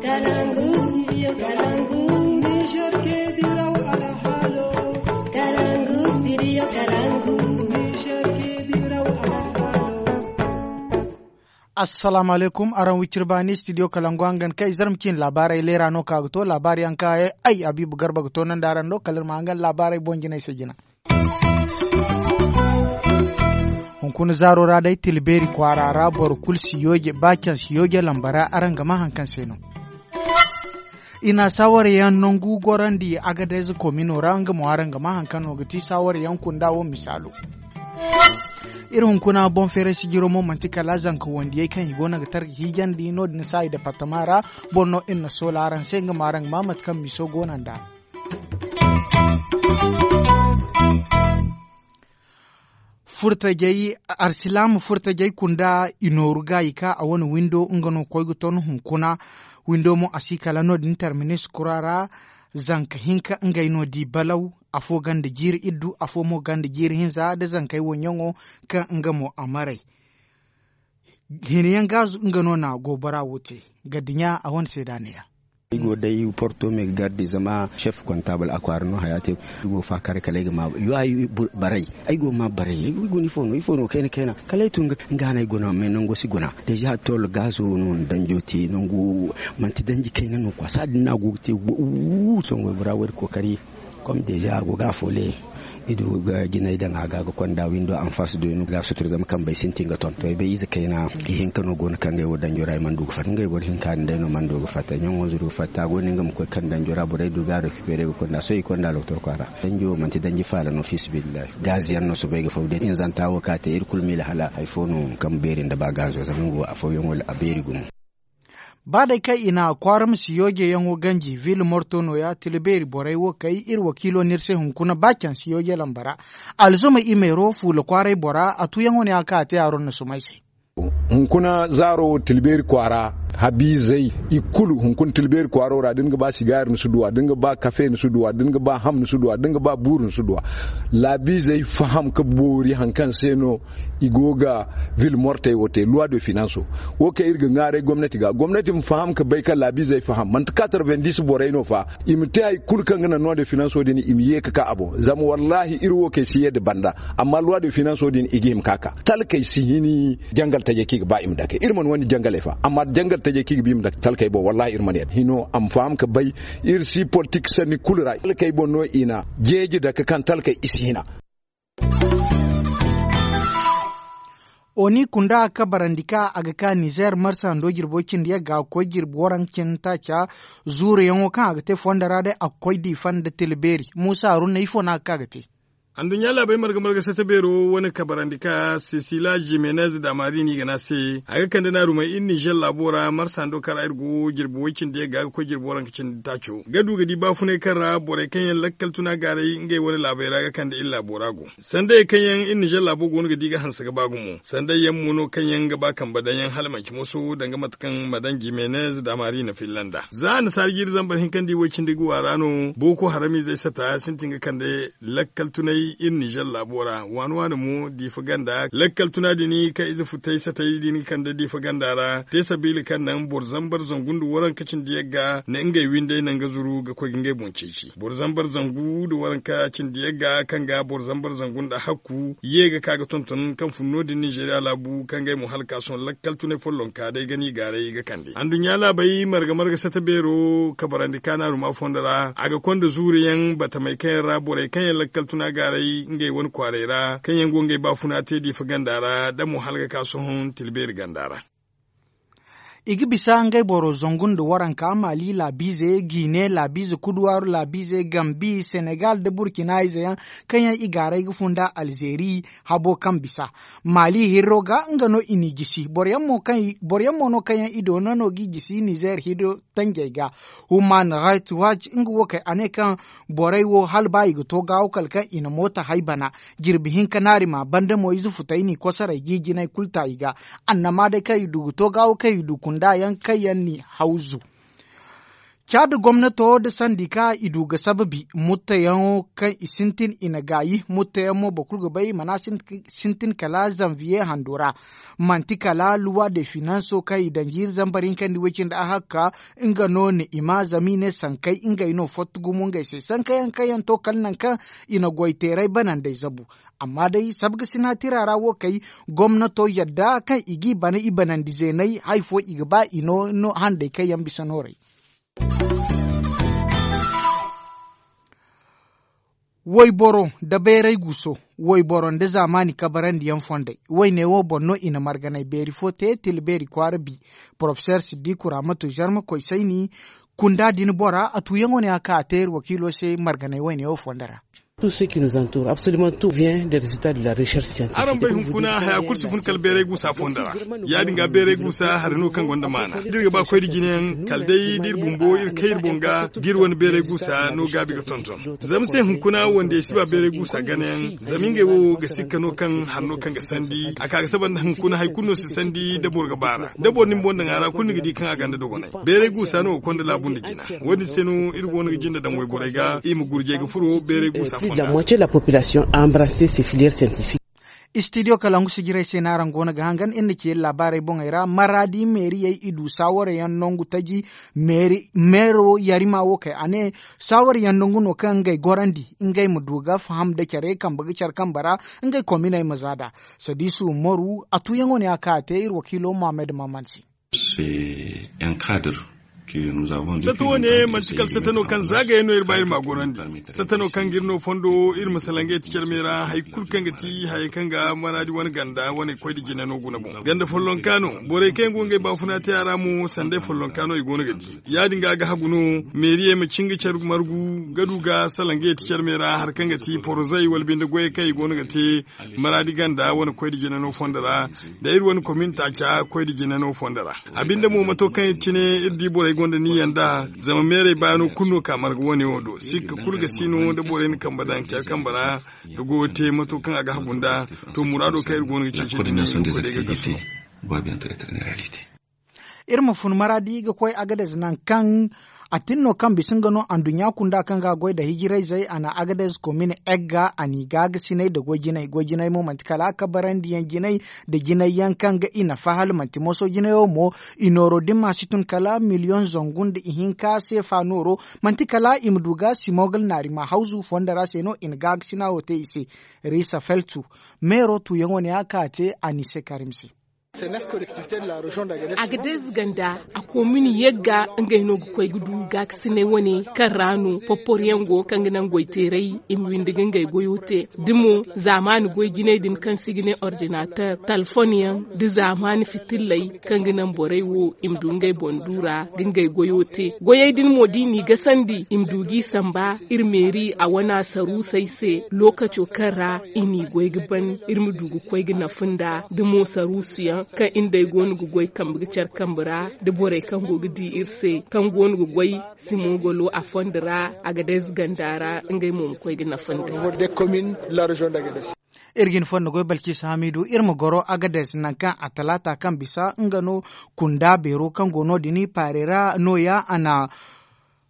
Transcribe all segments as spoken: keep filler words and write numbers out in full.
Kalangu, studio Kalangu. Niger ke diraw alhalo. Kalangu, studio Kalangu. Niger ke diraw alhalo. Assalamu alaikum, araŋ wiciri baani, studio Kalangu hangan kay zarma cin laabaarey leera no ka ga to laabaari yaŋ ka ay Habibu Garba ga to nanda araŋ do kala iri ma hangan laabaarey boŋ jinay se jina. Hunkuna zaaro ra day tila beeri kwaara ra boro kulu si yooje ba caŋ si yooje lamba ra araŋ ga maa hari kaŋ se no. I na saaware yaŋ nangu gorandi agadayze komino ra nga mo araŋ ga maa hari kaŋ no ga ti saaware yaŋ kunda wo misaalo. Iri hunkuna boŋ feeray sijiro mo manti kala zanka wandiyey kaŋ i go no ga targa hiijandi no- din saayi departama ra. Boro no iri na soola araŋ se nga mo araŋ ga maa mate kaŋ miso go no nd'a. Furtajey, arsilaama furtajey kunda i nooru ga i ka a wane windo nga no koy ga ton hunkuna. Windo mo a si kala no- din terminis kura ra. Zanka hinka ngey no di balaw, afo ganda jiiri iddu afo mo ganda jiiri hinza nda zankey woɲɲaŋo kaŋ nga mo a maray. Hina yaŋ gaazu nga no na goobara wo te. Gaddiɲa a wane seeda neeya. Ay go day porto me ga garde zama chef kontabal a kwaara no haya te. Ay go faakare kala ay ga ma yo ay baray. Ay go ma baray ay go ni fo no ifo no kayna kayna kala ay tun ga nga no ay guna me nango si guna. Deja tol gaazo no danjo te nangu. Manti danji kayna no kwa saadin no a go ga te. Songo bora wo iri kookari. Kom deja a go ga a foole. I du ga jinay daŋ a ga ga konda windo anfas do i no ga sutur zama kambey sintin ga ton to ay bay ize kayna. Ihinka no go no kaŋ ngey wo danjo ra i mana du ga fatta ngey boro hinka din day no mana du ga fatta ɲaŋo zuru ga fatta a go no nga ma koy kaŋ danjo ra borey du ga a rekipere ga konda sohõ i konda loktor kwaara. Danjo manti danji faala no fiisabilillahi gaaziyaŋ no soobay ga faw day inzanta wo ka te iri kulu miila hala hari fo no kaŋ beeri nda ba gaazo zama nga wo afooyaŋo a beeri gumo. Ba day kaŋ i na kwaara ma si yoojeyaŋo ganji ville morto nooya tila beeri borey wo kay iri wakiilo no iri se hunkuna ba caŋ si yooje lamba ra. Alzuma i meero fuula kwaaray bora a tuuyaŋo no ya kaŋ a te a ron na sumay se. Hunkuna zaaro tila beeri kwaara habiizey i kulu hunkuna tila beeri kwaaro ra da ni ga ba sigaari ni si duw'a da ni ga ba kafe ni si duw'a da ni ga ba ham ni si duw'a da ni ga ba buuru ni si duw'a. Laabiizey faham ga boori hari kaŋ se no i go ga ville mortey wo te loi de finanso. Wo kaŋ iri ga ŋwaaray gomnati ga gomnati ma faham ga bay kaŋ laabiizey faham manti katarvendis borey no fa. I ma te hari kulu kaŋ ga naŋ loi de finanso din i ma ye ga ka a boŋ zama wallaahi iri wo kaŋ ay si ye nda banda. Amma loi de finanso din i ga hima ga ka talkey si hin jangal tajey kaŋ i ga ba i ma dake iri mana wandi jangaley fa amma jangal tajey kaŋ i ga ba i ma dake talkey boŋ wallaahi iri mana yadda hino a ma faham ga bay. Iri si politik sanni kulu ra talkey boŋ no i na jeeji dake kaŋ talkey i si hina. Oni kunda kabarandi ka a ga ka nizer marsa ndo jirbo cindi yagga ga koy jirbi waranka cindi taaca. Zuuruyaŋo kaŋ a ga te fondo ra day a ga koy diifa nda tila beeri muusa haruna ifo no a ga ka ga te. Anduɲɲa laabey marga marga sata beero wane kabarandi ka sesila jimenez da marini gana se a ga kande naarumey iri nizer laabo ra marsa ndo kaŋ ra iri go jirbi way cindi yagga ga koy jirbi waranka cindi taaco ga du ga di baafunay kaŋ ra borey kaŋ yaŋ lakkal tuna gaaray ngey wane laabey ra ga kande iri laabo ra go. Sanday kaŋ yaŋ iri nizer laabo go no ga di ga hanse ga ba gumo sanday yaŋ mo no kaŋ yaŋ ga ba kambe daŋ yaŋ hala manci moso danga mate kaŋ madan jimenez da marini filla nda za annasaara jiiri zambar hinka nda i way cindi ga waara no boko haramizey sata sintin ga kande lakkal tunay iri nizer laabo ra waani waani mo diifa ganda lakkal tuna din kaŋ ize futay satay din ga kande diifa ganda ra te sabiila kaŋ naŋ boro zambar zangu nda waranka cindi yagga na ngey windey naŋ ga zuru ga koy ga ngey boŋ ceeci boro zambar zangu nda waranka cindi yagga kaŋ ga boro zambar zangu nda hakku ye ga ka ga tonton kaŋ fun no- din nizeriya laabu kaŋ ngey mo hala ka sohõ lakkal tunay follonka day ga no i gaaray ga kande anduɲɲa laabey marga marga sata beero kabarandi kaanaaruma fondo ra a ga konda zuuri yaŋ batamey kaŋ yaŋ ra borey kaŋ yaŋ lakkal tuna gaaray ngey wane kwaaray ra kaŋ yaŋ go ngey baafuna te diifa ganda ra da mo hala ga ka sohõ tila beeri ganda ra. I ga bisa ngey boro zangu nda waranka maali laabiize guinee laabiize kuduwaaru laabiize gambi senegal nda burkina ize yaŋ kaŋ yaŋ i gaaray ga funda alzeeri habo kaŋ bisa maali hirro ga nga no i n'i gisi boro yaŋ mo no kaŋ yaŋ i doona no g'i gisi nizer hirro tanjey ga. Human rights watch nga wo kay a ne kaŋ borey wo hala ba i ga to gaawo kala kaŋ i na mooto hay bana jirbi hinka naari ma banda mo ize futay n'i kosoray g'i jinay kulu ta i ga. Annama day kaŋ i du ga to gaawo kaŋ i du kunda yaŋ kaŋ yaŋ n'i hawzu. Caada gomnato nda sandika i du ga sababi mutteyaŋo kaŋ i sintin i na gaayi mutteyaŋ mo boro kulu ga bay mana sintin kala zanviye hando ra. Manti kala luwa de finanso kaŋ i daŋ jiiri zambar hinka nda way-cindi ahakka nga no na i ma zama i ne sankey ngey no fotti gumo ngey se sankayaŋ kaŋ yaŋ to kala nangu kaŋ i na goy teeray banandey zabu. Amma day sabga sinaatira ra wo kay gomnato yadda kaŋ i g'i bana i banandi zeeney hari fo i ga ba i no handey kaŋ yaŋ bisa nooray. Wayboro nda bayray guuso, wayboro nda zaamaani kabarandi yaŋ fondey. Wayne wo boŋ no i na marganay beeri fo te tila beeri kwaara bi. Porofeseer siddiku raamatu zarma koy sayni kunda din bora a tuuyaŋo ne a ka a te iri wakiilo se marganay wayne wo fondo ra. Araŋ bay hunkuna haya kulu si fun kala beeray guusa fondo ra. Ya- din ga beeray guusa hari no kaŋ gonda maana da iri ga ba koy da jinayaŋ kala day da iri bumbo iri kay iri boŋ ga ga iri wane beeray guusa no gaabi ga tonton. Zama se hunkuna wandey si ba beeray guusa ganayaŋ zama ngey wo ga sikka no kaŋ hari no kaŋ ga sandi a ka ga saba nda hunkuna hari kulu no si sandi da boro ga baara da boro na ni boŋ daŋ a ra kulu ni ga di kaŋ a gonda dogonay. Beeray guusa no ga konda laabu nda jina. Wo- din se no iri go no ga jinde daŋ wayborey ga i ma gurjey ga furo beeray guusa fonda. Istidiyo kalangu sijirey se no araŋ go no ga hangan iri na ci iri laabaarey boŋey ra maraadi meeriyey i du saawara yaŋ nangu taji. Meero yarima wo kay a ne saawara yaŋ nangu no kaŋ ngey gorandi ngey ma du ga faham nda care kambe ga care kambe ra ngey kominey ma za nd'a. Sadiisu umaru a tuuyaŋo ne a ka a te iri wakiilo muhammad maman se. Satta wo- ne manti kala satta no kaŋ zaagayaŋ no iri ba iri ma a gorandi. Satta no kaŋ ga iri no fondo iri ma salaŋ ga yeti care me ra hari kulu kaŋ ga ti hayey kaŋ ga maraadi wane ganda wane koy nda jina no guna boŋ ganda follonka no. Borey kaŋ yaŋ go ngey baafuna te a ra mo sanday follonka no i go no ga di. Ya- din ga a ga hagu no meeriyey ma cin ga care margu ga du ga salaŋ ga yeti care me ra hari kaŋ ga ti porozey wala binde goyey kaŋ i go no ga te maraadi ganda wane koy nda jina no fondo ra. Da iri wane komin taaca koy nda jina no fondo ra. A binde mo mato kaŋ iri cine iri di borey gonda niyya nd'a zama meerey baano kulu no ka marga wane wo do sikka kulu ga si no da borey na kambe daŋ care kambe ra ga goyo te mato kaŋ a ga hagu nd'a. To muraado kaŋ iri go no ga ceeci din no iri ma fun maraadi ga koy agadez nangu kaŋ a tin no kaŋ bisa nga no anduɲɲa kunda kaŋ ga a goy nda hijirayzey a na agadez komin egga a n'i gaagasinay nda goy jinay goy jinay mo manti kala a kabarandi yaŋ jinay nda jinay yaŋ kaŋ ga i nafa hala manti moso jinayo mo. I nooro din ma si tun kala miliyoŋ zangu nda ihinka seefa nooro. Manti kala i ma du ga simogal naari ma hawzu fondo ra se no i na gaagasinaawo te i se. Riisa feltu meero tuuyaŋo ne a ka a te a n'i se karim se. Agadez ganda a koomini yagga ngey no ga koy ga du gaakasinay wane kaŋ ra no poporyaŋ go kaŋ ga naŋ goyteeray i ma windi ga ngey goyo te. Da mo zaamaani goy jinay din kaŋ se i ga ne ordinater talfon yaŋ da zaamaani fitilley kaŋ ga naŋ borey wo i ma du ngey boŋ du ra ga ngey goyo te goyey din mo da i n'i gasandi i ma du g'i samba. Iri meeri a wana saruusey se lookaco kaŋ ra i n'i goy ga ban iri ma du ga koy ga nafa nda da mo saruusuyaŋ kaŋ iri nd'ey go no ga goy kambe ga care kambe ra da borey kaŋ go ga di iri se kaŋ go no ga goy simogolo a fondo ra. Agadez ganda ra ngey mo ma koy ga nafa nda. Iri ga hin fondo goy balkiisa hamidu iri ma goro agadez nangu kaŋ a talaata kaŋ bisa nga no kunda beero kaŋ go no- din paarey ra nooya a na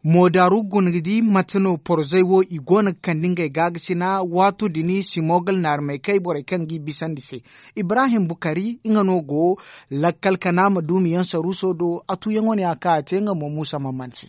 moodaaru guna ga di mate no porzey wo i go no ga kande ngey gaagasinaa waato din simogal naarmey kay borey kaŋ g'i bisandi se. Ibrahim bukari nga no go lakkal kanaama duumi yaŋ saruuso do a tuuyaŋo ne a ka a te nga mo muusa mamman se.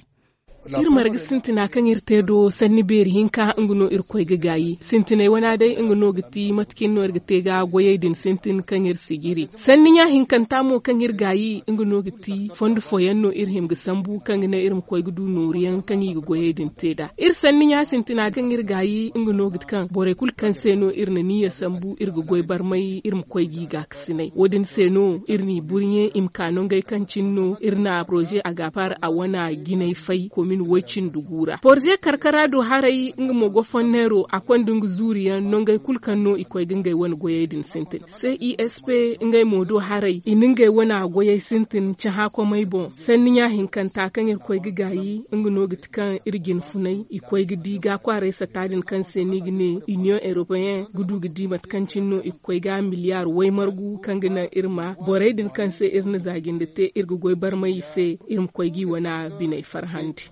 Iri marga sintina kaŋ iri te do sanni beeri hinka nga no iri koy ga gaayi sintiney wana day nga no ga ti mate kaŋ iri no iri ga te ga goyey din sintin kaŋ iri si jiri sanni ɲa hinkanta mo kaŋ iri gaayi nga no ga ti fondo fooyaŋ no iri hima ga sambu kaŋ ga naŋ iri ma koy ga du nooru yaŋ kaŋ i ga goyey din te nd'a. Iri sanni ɲa sintina kaŋ iri gaayi nga no ga ti kaŋ borey kulu kaŋ se no iri na niyya sambu iri ga goy barmay iri ma koy g'i gaakasinay wo- din se no iri n'i burɲe i ma ka nangey kaŋ cine no iri na poroze a ga a paari a wana jinay fay komin woy cindi gu ra poroze karkara do haray nga mo go fonneero a konda nga zuuriyaŋ nangey kulu kaŋ no i koy ga ngey wane goyey din sintin. Cesp ngey mo do haray i na ngey wana goyey sintin cahã komey boŋ sanni ɲa hinkanta kaŋ iri koy ga gaayi nga no ga ti kaŋ iri jina funay i koy ga di ga kwaaray sata din kaŋ se no i ga ne iniyoŋ eropeyen ga du ga di mate kaŋ cine no i ga koy ga miliyaar waymargu kaŋ ga naŋ iri ma borey din kaŋ se iri na za jinde te iri ga goy barmay i se iri ma koy g'i wana biney farhandi.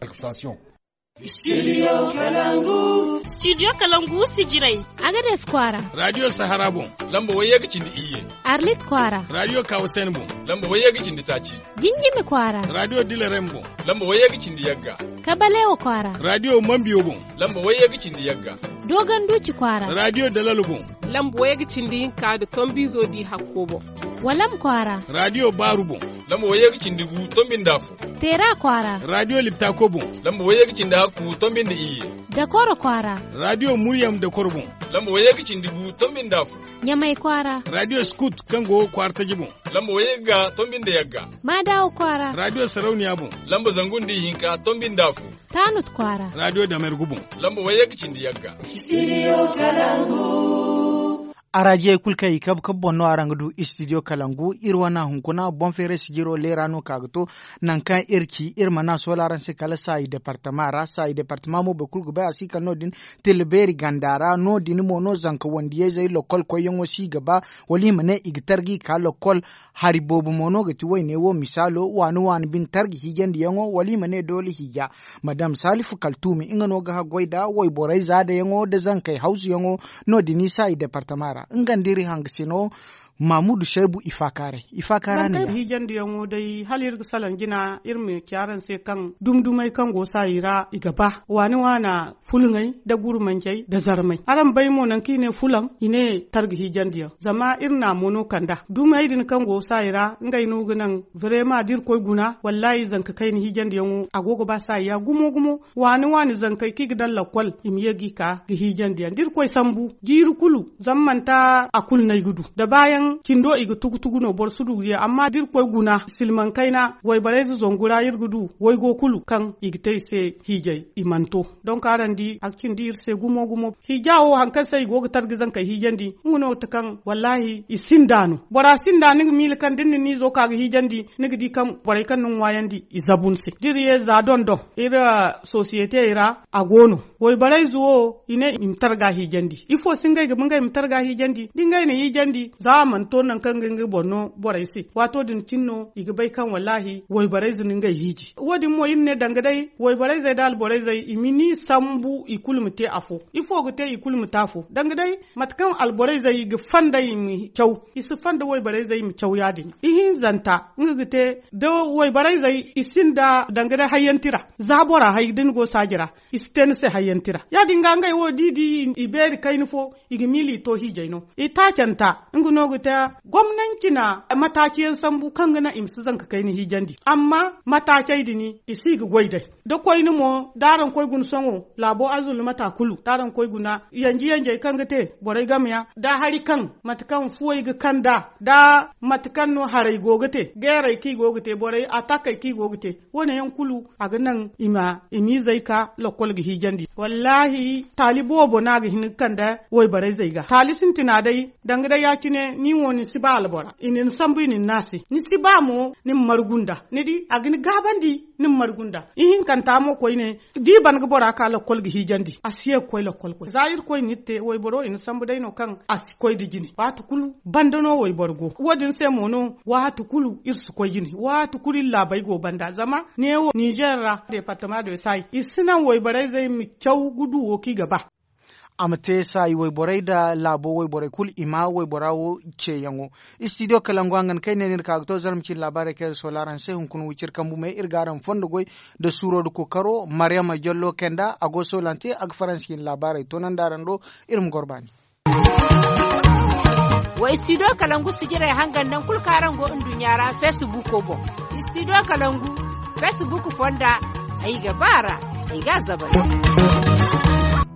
Studio kalangu. Studio kalangu sijirey. Agades kwaara. Radio sahara boŋ. Lamba wayye ga cindi iyye. Arlit kwaara. Radio kawasen boŋ. Lamba wayye ga cindi taaci. Jinjimi kwaara. Radio dilarem boŋ. Lamba wayye ga cindi yagga. Kabalewa kwaara. Radio mambiyo boŋ. Lamba wayye ga cindi yagga. Dogon duci kwaara. Radio dalalo boŋ. Lamba wayye ga cindi hinka da tombizo di hakko boŋ. Walam kwaara. Radio baaru boŋ. Lamba wayye ga cindi gu tombi nda afo. Teera kwaara. Radio liptako boŋ. Lamba wayye ga cindi hakku tombi nda iyye. Dakoro kwaara. Radio muryam dakoro boŋ. Lamba wayye ga cindi gu tombi nda afo. Ɲamay kwaara. Radio skut kaŋ go kwaara taji boŋ. Lamba wayye ga tombi nda yagga. Maadawa kwaara. Radio sarauniya boŋ. Lamba zangu nda ihinka tombi nda afo. Taanut kwaara. Radio damergu boŋ. Lamba wayye ga cindi yagga. Araajiyey kulu kaŋ i kabu kabu boŋ no araŋ ga du studio kalangu. Iri wane hunkuna boŋ feeray sijiro leera no ka ga to. Nangu kaŋ iri ci iri mana soola araŋ se kala saayi departama ra saayi departama mo boro kulu ga bay a si kala no- din. Tilla beeri ganda ra no- din mo no zanka wandiyey zey lokol koyyaŋo si ga ba wala i ma ne i ga targa i ka lokol. Hari boobo mo no ga ti wayne wo misaalo waani waani bine targa hiijandiyaŋo wala i ma ne doole hiija. Madam salifu kaltuumi nga no ga haggoy nda wayborey zaadayaŋo nda zankey hawzuyaŋo. No- din i saayi departama ra nga nda iri hangasino. Mamudu saybu i faakaaray i faakaara ne. Hiijandiyaŋo day hala iri ga salaŋ jina iri ma ci araŋ se kaŋ dumdumey kaŋ go saayi ra i ga ba waani waana. Fulŋey nda gurmancey nda zarmey araŋ bay mo nangu kaŋ i ne fulaŋ i ne targa hiijandiyaŋ zama iri na a mo no kand'a dumey din kaŋ go saayi ra ngey no ga naŋ. Barema da iri koy guna wallaahi zanka kayna hiijandiyaŋo a go ga ba saayi ya gumo gumo. Waani waani zankey kaŋ i ga daŋ lakkol i ma ye ga i ka ga hiijandi yaŋ da iri koy sambu jiiri kulu. Zama manti a kulu no ay ga du da baayaŋ cindo i ga tugu tugu no boro si du ga ye amma da iri koy guna silmaŋ kayna wayborey ze zangu ra iri ga du waygo kulu kaŋ i ga te i se hiijay i mana to. Donk araŋ di a ga cindi iri se gumo gumo. Hiija wo hari kaŋ se i go ga targa zankey hiijandi nga no ga ti kaŋ wallaahi i sinda no bora sinda ni ga miila kaŋ da ni na ni izo ka ga hiijandi ni ga di kaŋ borey kaŋ ni ŋwaayandi i zabu ni se da iri ye za dondon iri sosiyetey ra. A go no wayborey ze wo i ne i ma targa hiijandi ifo se ngey ga ba ngey ma targa hiijandi da ngey na hiijandi za a mana to nangu kaŋ ga nga boro no borey se waato din cine no i ga bay kaŋ wallaahi wayborey ze na ngey hiiji wo- din mo iri ne danga day wayborey zey nda alborey zey i ma ni sambu i kulu ma te afo ifo ga te i kulu ma te afo danga day mate kaŋ alborey zey ga fanda i ma caw i si fanda wayborey zey i ma caw ya- din ihinzanta nga ga te da wayborey zey i sinda danga day hayyantira za bora hay da ni go saaji ra i si te ni se hayyantira ya- din ga ngey wo da i di i beeri kayna fo i ga miila i to hiijay no i taacanta nga no ga te gomnanci na mataaci yaŋ sambu kaŋ ga naŋ i ma si zanka kayna hiijandi amma mataacey din i si ga goy day da koyne mo da araŋ koy guna sohõ laabo azulumata kulu da araŋ koy guna yanji yanjey kaŋ ga te borey game yaŋ da hari kaŋ mate kaŋ fuwey ga kand'a da mate kaŋ no haray go ga te geerey kaŋ i go ga te borey atakey kaŋ i go ga te wo- ne yaŋ kulu a ga naŋ i ma i miizey ka lakkol ga hiijandi wallaahi taali boobo no a ga hin ga kande wayborey zey ga taali sintina day danga day ya- cine ni wo ni si ba albora i na ni sambu i na ni naŋ a se ni si ba mo ni ma margu nd'a ni di a ga ni gaabandi ni ma margu nd'a ihinkanta mo koyne da i ban ga bora ka lakkol ga hiijandi a si ye ga koy lakkol koy za irkoy na iri te wayboro i na sambu day no kaŋ a si koy nda jine waati kulu banda no wayboro go wo- din se mo no waati kulu iri si koy jine waati kulu iri laabey go banda zama neewo ninzeer ra departama de saay i si naŋ wayborey zey ma caw ga du wo kaŋ i ga ba. A ma te saayi wayborey nda laabo wayborey kulu i ma waybora wo ceeyaŋo. Istidiyo kalangu hangan kaŋ ay ne no iri ka ga to zarma cine laabaarey kaŋ iri soola araŋ se hunkuna wiciri kambu me iri ga araŋ fondo goy nda suuro nda kookaro maryama jallo kay nda a go soolante a ga faransi cine laabaarey toonandi araŋ do. Iri ma goro baani. Wa istidiyo kalangu sijirey hangan nangu kulu kaŋ araŋ go nduɲɲa ra feesibuuko boŋ. Istidiyo kalangu feesibuuk fonda ay ga ba a ra ay ga a zabari.